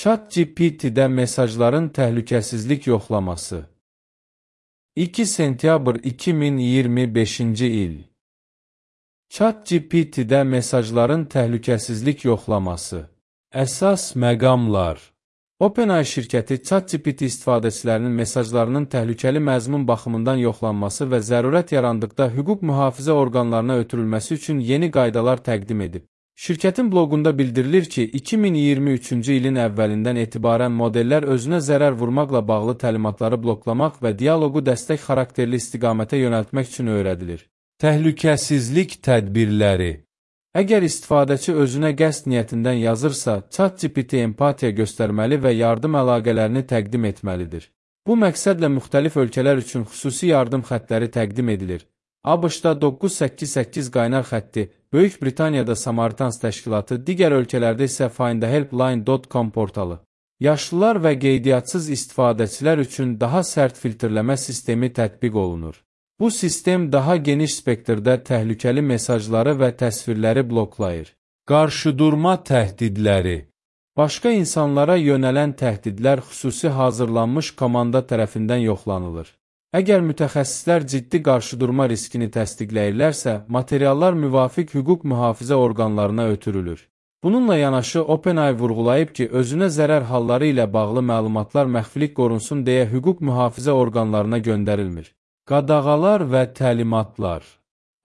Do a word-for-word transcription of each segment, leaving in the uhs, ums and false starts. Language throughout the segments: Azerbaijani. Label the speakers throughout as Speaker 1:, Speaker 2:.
Speaker 1: ChatGPT-də mesajların təhlükəsizlik yoxlaması. iki sentyabr iki min iyirmi beşinci il. ChatGPT-də mesajların təhlükəsizlik yoxlaması. Əsas məqamlar. OpenAI şirkəti ChatGPT istifadəçilərinin mesajlarının təhlükəli məzmun baxımından yoxlanması və zərurət yarandıqda hüquq mühafizə orqanlarına ötürülməsi üçün yeni qaydalar təqdim edib. Şirkətin bloqunda bildirilir ki, iki min iyirmi üçüncü ilin əvvəlindən etibarən modellər özünə zərər vurmaqla bağlı təlimatları bloklamaq və dialoqu dəstək xarakterli istiqamətə yönəltmək üçün öyrədilir. Təhlükəsizlik tədbirləri. Əgər istifadəçi özünə qəsd niyyətindən yazırsa, ChatGPT empatiya göstərməli və yardım əlaqələrini təqdim etməlidir. Bu məqsədlə müxtəlif ölkələr üçün xüsusi yardım xəttləri təqdim edilir. ABŞ-da doqquz səkkiz səkkiz qaynar xətti, Böyük Britaniyada Samaritans təşkilatı, digər ölkələrdə isə find a helpline dot com portalı. Yaşlılar və qeydiyyatçız istifadəçilər üçün daha sərt filtrləmə sistemi tətbiq olunur. Bu sistem daha geniş spektrdə təhlükəli mesajları və təsvirləri bloklayır. Qarşıdurma təhdidləri. Başqa insanlara yönələn təhdidlər xüsusi hazırlanmış komanda tərəfindən yoxlanılır. Əgər mütəxəssislər ciddi qarşıdurma riskini təsdiqləyirlərsə, materiallar müvafiq hüquq mühafizə orqanlarına ötürülür. Bununla yanaşı, OpenAI vurğulayıb ki, özünə zərər halları ilə bağlı məlumatlar məxfilik qorunsun deyə hüquq mühafizə orqanlarına göndərilmir. Qadağalar və təlimatlar.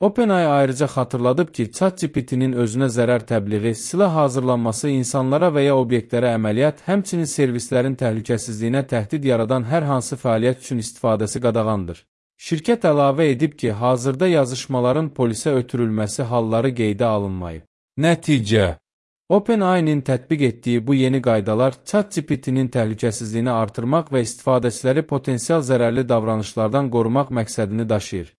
Speaker 1: OpenAI ayrıca xatırladıb ki, ChatGPT-nin özünə zərər təbliği, silah hazırlanması, insanlara və ya obyektlərə əməliyyat, həmçinin servislərin təhlükəsizliyinə təhdid yaradan hər hansı fəaliyyət üçün istifadəsi qadağandır. Şirkət əlavə edib ki, hazırda yazışmaların polisə ötürülməsi halları qeydə alınmayıb. Nəticə. OpenAI-nin tətbiq etdiyi bu yeni qaydalar ChatGPT-nin təhlükəsizliyini artırmaq və istifadəçiləri potensial zərərli davranışlardan qorumaq məqsədini daşıyır.